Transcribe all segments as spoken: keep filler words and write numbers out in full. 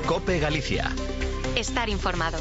COPE Galicia. Estar informado.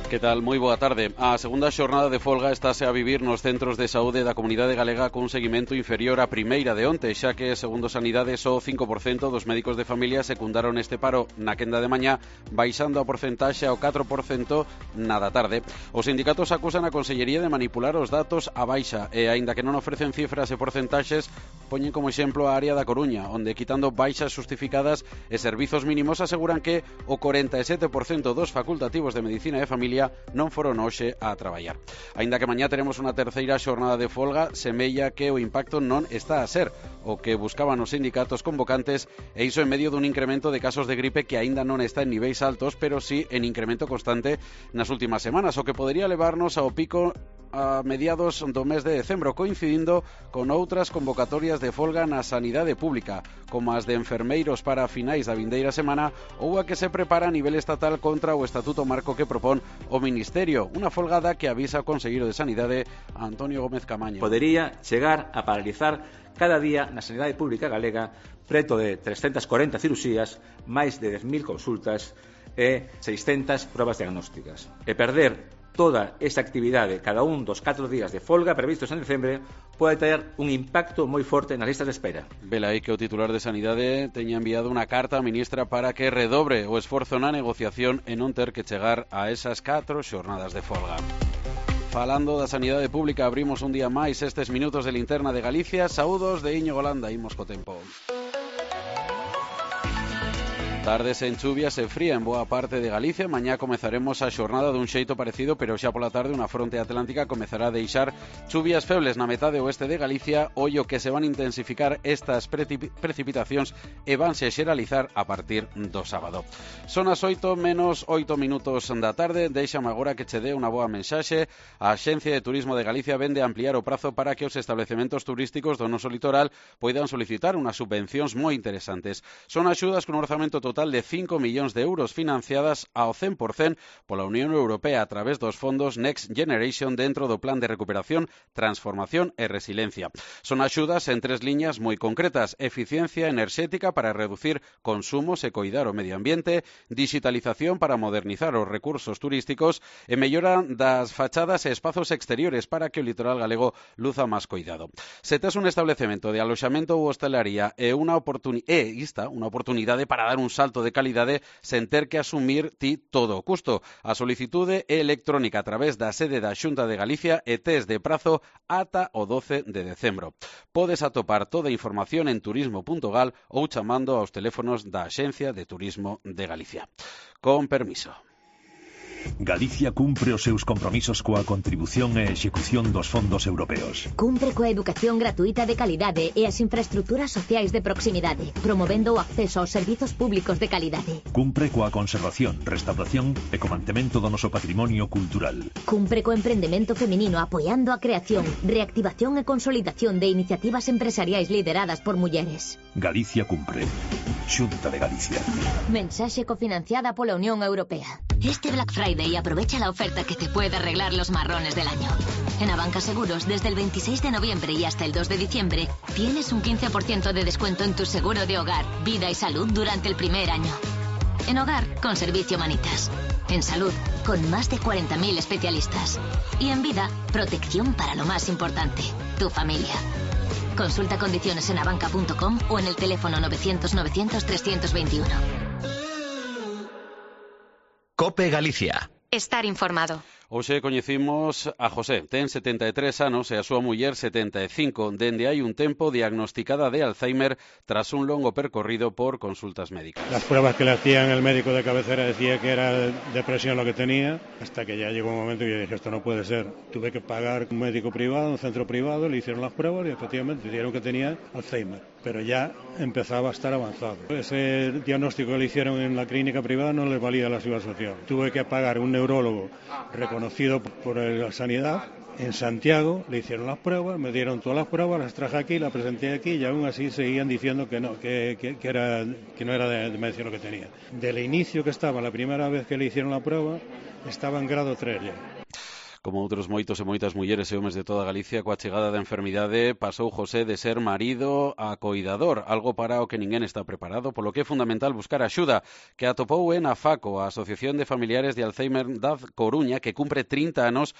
Que tal? Moi boa tarde. A segunda xornada de folga estáse a vivir nos centros de saúde da comunidade galega cun seguimento inferior á primeira de onte, xa que, segundo Sanidade, só o cinco por cento dos médicos de familia secundaron este paro na quenda de mañá, baixando a porcentaxe ao catro por cento na da tarde. Os sindicatos acusan a Consellería de manipular os datos á baixa e, aínda que non ofrecen cifras e porcentaxes, poñen como exemplo a área da Coruña, onde, quitando baixas xustificadas e servizos mínimos, aseguran que o corenta e sete por cento dos facultativos de medicina e familia non foron hoxe a traballar. Aínda que mañá teremos unha terceira xornada de folga, semella que o impacto non está a ser o que buscaban os sindicatos convocantes, e iso en medio dun incremento de casos de gripe que aínda non está en niveis altos, pero sí en incremento constante nas últimas semanas, o que podería levarnos ao pico a mediados do mes de decembro, coincidindo con outras convocatorias de folga na sanidade pública, como as de enfermeiros para finais da vindeira semana ou a que se prepara a nivel estatal contra o Estatuto Marco que propón o Ministerio, unha folgada que avisa o conselleiro de Sanidade, Antonio Gómez Camaño. Podería chegar a paralizar cada día na sanidade pública galega preto de trescentas corenta cirurxías, máis de dez mil consultas e seiscentas probas diagnósticas, e perder toda esta actividade cada un dos catro días de folga previstos en decembre pode ter un impacto moi forte nas listas de espera. Vela aí que o titular de Sanidade teña enviado unha carta á ministra para que redobre o esforzo na negociación e non ter que chegar a esas catro xornadas de folga. Falando da sanidade pública, abrimos un día máis estes minutos de Linterna de Galicia. Saúdos de Íñigo Landa, imos co tempo. Tardes en chuvias e fría en boa parte de Galicia. Mañá comezaremos a xornada dun xeito parecido, pero xa pola tarde unha fronte atlántica comezará a deixar chuvias febles na metade oeste de Galicia, ollo que se van a intensificar estas precipitacións e vanse xeralizar a partir do sábado. Son as oito menos oito minutos da tarde. Deixame agora que che dé unha boa mensaxe. A Axencia de Turismo de Galicia vende a ampliar o prazo para que os establecementos turísticos do noso litoral poidan solicitar unhas subvencións moi interesantes. Son axudas con un orzamento total total de cinco millóns de euros financiadas ao cen por cento pola Unión Europea a través dos fondos Next Generation dentro do Plan de Recuperación, Transformación e Resiliencia. Son axudas en tres liñas moi concretas: eficiencia enerxética para reducir consumos e coidar o medio ambiente, digitalización para modernizar os recursos turísticos e mellora das fachadas e espazos exteriores para que o litoral galego luza máis coidado. Se tes un establecemento de aloxamento ou hostelería e unha oportunidade, e ista, unha oportunidade para dar un salto de calidade sen ter que asumir ti todo o custo. A solicitude é electrónica a través da sede da Xunta de Galicia e tes de prazo ata o doce de decembro. Podes atopar toda a información en turismo punto gal ou chamando aos teléfonos da Axencia de Turismo de Galicia. Con permiso. Galicia cumpre os seus compromisos coa contribución e execución dos fondos europeos. Cumpre coa educación gratuita de calidade e as infraestructuras sociais de proximidade, promovendo o acceso aos servizos públicos de calidade. Cumpre coa conservación, restauración e co mantemento do noso patrimonio cultural. Cumpre co emprendemento feminino apoiando a creación, reactivación e consolidación de iniciativas empresariais lideradas por mulleres. Galicia cumpre. Xunta de Galicia. Mensaxe cofinanciada pola Unión Europea. Este Black Friday aprovecha la oferta que te puede arreglar los marrones del año. En Abanca Seguros, desde el veintiséis de noviembre y hasta el dos de diciembre, tienes un quince por ciento de descuento en tu seguro de hogar, vida y salud durante el primer año. En hogar, con Servicio Manitas. En salud, con más de cuarenta mil especialistas. Y en vida, protección para lo más importante, tu familia. Consulta condiciones en abanca punto com o en el teléfono novecientos novecientos trescientos veintiuno. COPE Galicia. Estar informado. Hoxe coñecimos a José. Ten setenta e tres anos e a súa muller setenta e cinco. Dende hai un tempo diagnosticada de Alzheimer tras un longo percorrido por consultas médicas. Las pruebas que le hacían el médico de cabecera decía que era depresión lo que tenía, hasta que ya llegó un momento que yo dije, esto no puede ser. Tuve que pagar un médico privado, un centro privado, le hicieron las pruebas y efectivamente dijeron que tenía Alzheimer, pero ya empezaba a estar avanzado. Ese diagnóstico que le hicieron en la clínica privada no les valía la seguridad social. Tuve que pagar un neurólogo reconocido por la sanidad en Santiago, le hicieron las pruebas, me dieron todas las pruebas, las traje aquí, las presenté aquí y aún así seguían diciendo que no, que, que, que, era, que no era de, de medicina lo que tenía. Del inicio que estaba, la primera vez que le hicieron la prueba, estaba en grado tres ya. Como outros moitos e moitas mulleres e homes de toda Galicia, coa chegada da enfermidade pasou José de ser marido a coidador, algo para o que ninguén está preparado, polo que é fundamental buscar axuda, que atopou en a FACO, a Asociación de Familiares de Alzheimer da Coruña, que cumpre trinta anos,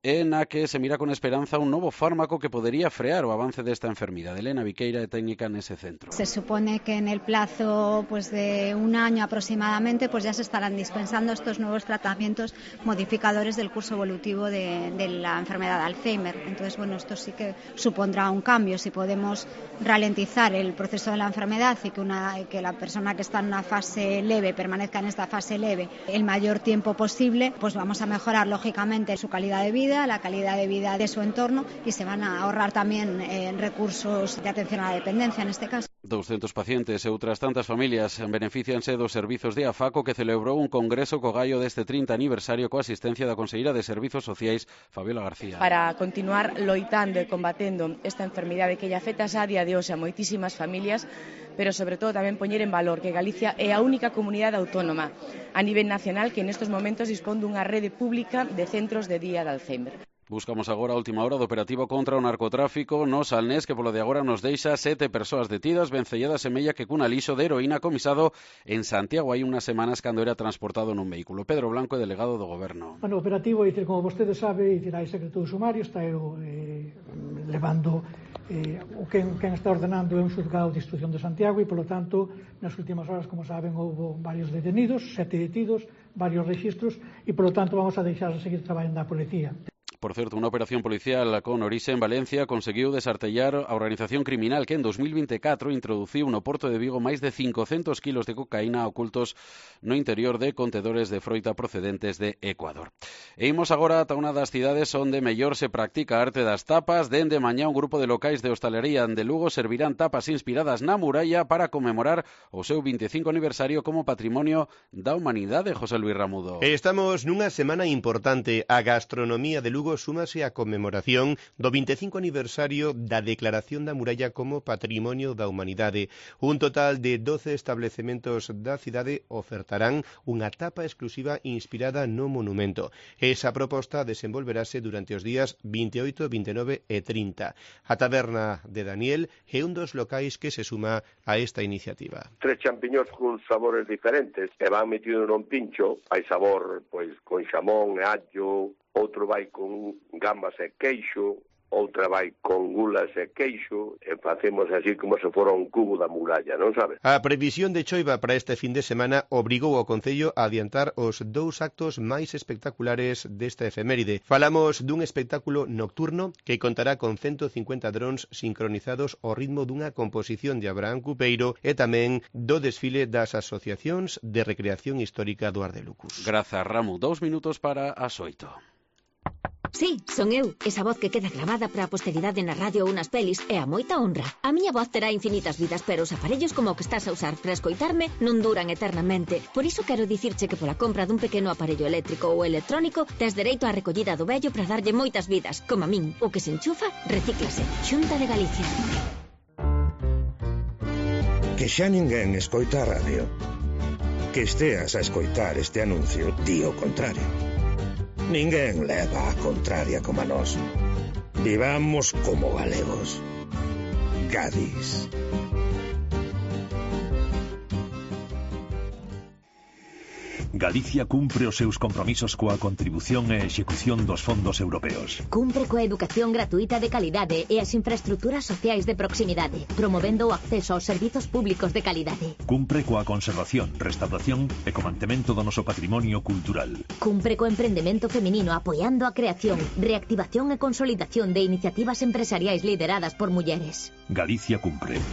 en a que se mira con esperanza un novo fármaco que podería frear o avance desta enfermidade. Elena Viqueira é técnica nese centro. Se supone que en el plazo pues, de un año aproximadamente pues ya se estarán dispensando estos nuevos tratamientos modificadores del curso evolutivo de, de la enfermedad de Alzheimer. Entonces, bueno, esto sí que supondrá un cambio. Si podemos ralentizar el proceso de la enfermedad y que, una, que la persona que está en una fase leve permanezca en esta fase leve el mayor tiempo posible, pues vamos a mejorar lógicamente su calidad de vida, la calidad de vida de su entorno y se van a ahorrar también eh, recursos de atención a la dependencia en este caso. douscentos pacientes e outras tantas familias beneficianse dos servizos de AFACO, que celebrou un congreso co gallo deste trinta aniversario coa asistencia da conselleira de Servizos Sociais, Fabiola García. Para continuar loitando e combatendo esta enfermidade que lle afecta a día de hoxe a moitísimas familias, pero sobre todo tamén poñer en valor que Galicia é a única comunidade autónoma a nivel nacional que nestes momentos dispón dunha rede pública de centros de día de Alzheimer. Buscamos agora a última hora do operativo contra o narcotráfico no Salnés, que polo de agora nos deixa sete persoas detidas, vencelladas semella que cun alixo de heroína comisado en Santiago hai unhas semanas cando era transportado nun vehículo. Pedro Blanco é delegado do Goberno. Bueno, o operativo, dicir, como vostede sabe, dicir, hai secreto do sumario, está eu, eh, levando eh, o que quen está ordenando é un xulgado de instrucción de Santiago e, polo tanto, nas últimas horas, como saben, houve varios detenidos, sete detidos, varios registros e, polo tanto, vamos a deixar a seguir traballando a policía. Por certo, unha operación policial con orixe en Valencia conseguiu desartellar a organización criminal que en dos mil veinticuatro introduciu no Porto de Vigo máis de cincocentos kilos de cocaína ocultos no interior de contedores de froita procedentes de Ecuador. E imos agora ata unha das cidades onde mellor se practica a arte das tapas. Dende mañá un grupo de locais de hostalería de Lugo servirán tapas inspiradas na muralla para conmemorar o seu veinticinco aniversario como Patrimonio da Humanidade. José Luis Ramudo. Estamos nunha semana importante. A gastronomía de Lugo súmase a conmemoración do veinticinco aniversario da Declaración da Muralla como Patrimonio da Humanidade. Un total de doce establecementos da cidade ofertarán unha tapa exclusiva inspirada no monumento. Esa proposta desenvolverase durante os días veintioito, veintinueve e trinta. A taberna de Daniel é un dos locais que se suma a esta iniciativa. Tres champiñóns con sabores diferentes que van metidos nun pincho. Hai sabor pois con xamón e allo, outro vai con gambas e queixo, outra vai con gulas e queixo, e facemos así como se fora un cubo da muralla, non sabe? A previsión de choiva para este fin de semana obrigou ao Concello a adiantar os dous actos máis espectaculares desta efeméride. Falamos dun espectáculo nocturno que contará con ciento cincuenta drons sincronizados ao ritmo dunha composición de Abraham Cupeiro e tamén do desfile das asociacións de recreación histórica do Ardelucus. Grazas, Ramu. Dous minutos para as oito. Sí, son eu, esa voz que queda gravada para a posteridade na radio ou nas pelis é a moita honra. A miña voz terá infinitas vidas, pero os aparellos como o que estás a usar para escoitarme non duran eternamente. Por iso quero dicirche que pola compra dun pequeno aparello eléctrico ou electrónico tes dereito á recollida do vello para darlle moitas vidas, como a min. O que se enchufa, recíclase. Xunta de Galicia. Que xa ninguén escoita a radio. Que esteas a escoitar este anuncio, di o contrario. Ninguén leva a contraria como a nós. Vivamos como galegos. Cádiz. Galicia cumpre os seus compromisos coa contribución e execución dos fondos europeos. Cumpre coa educación gratuita de calidade e as infraestructuras sociais de proximidade, promovendo o acceso aos servizos públicos de calidade. Cumpre coa conservación, restauración e co mantemento do noso patrimonio cultural. Cumpre co emprendemento feminino apoiando a creación, reactivación e consolidación de iniciativas empresariais lideradas por mulleres. Galicia cumpre.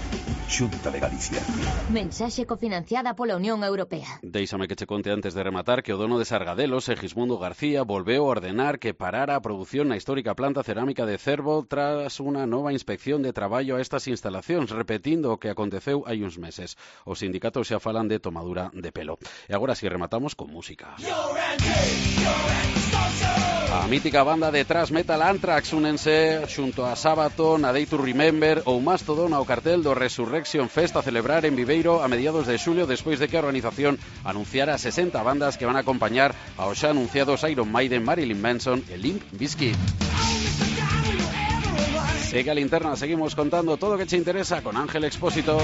Xunta de Galicia. Mensaxe cofinanciada pola Unión Europea. Déixame que che conte antes de rematar que o dono de Sargadelos, Segismundo García, volveu a ordenar que parara a produción na histórica planta cerámica de Cervo tras unha nova inspección de traballo a estas instalacións, repetindo o que aconteceu hai uns meses. Os sindicatos xa falan de tomadura de pelo. E agora si rematamos con música. You're A mítica banda de thrash metal Anthrax únense xunto a Sabaton, a Day to Remember ou Mastodon ao cartel do Resurrection Fest a celebrar en Viveiro a mediados de xulio, despois de que a organización anunciara sesenta bandas que van a acompañar aos xa anunciados Iron Maiden, Marilyn Manson e Limp Bizkit. Sigue a Linterna, seguimos contando todo o que te interesa con Ángel Expósito.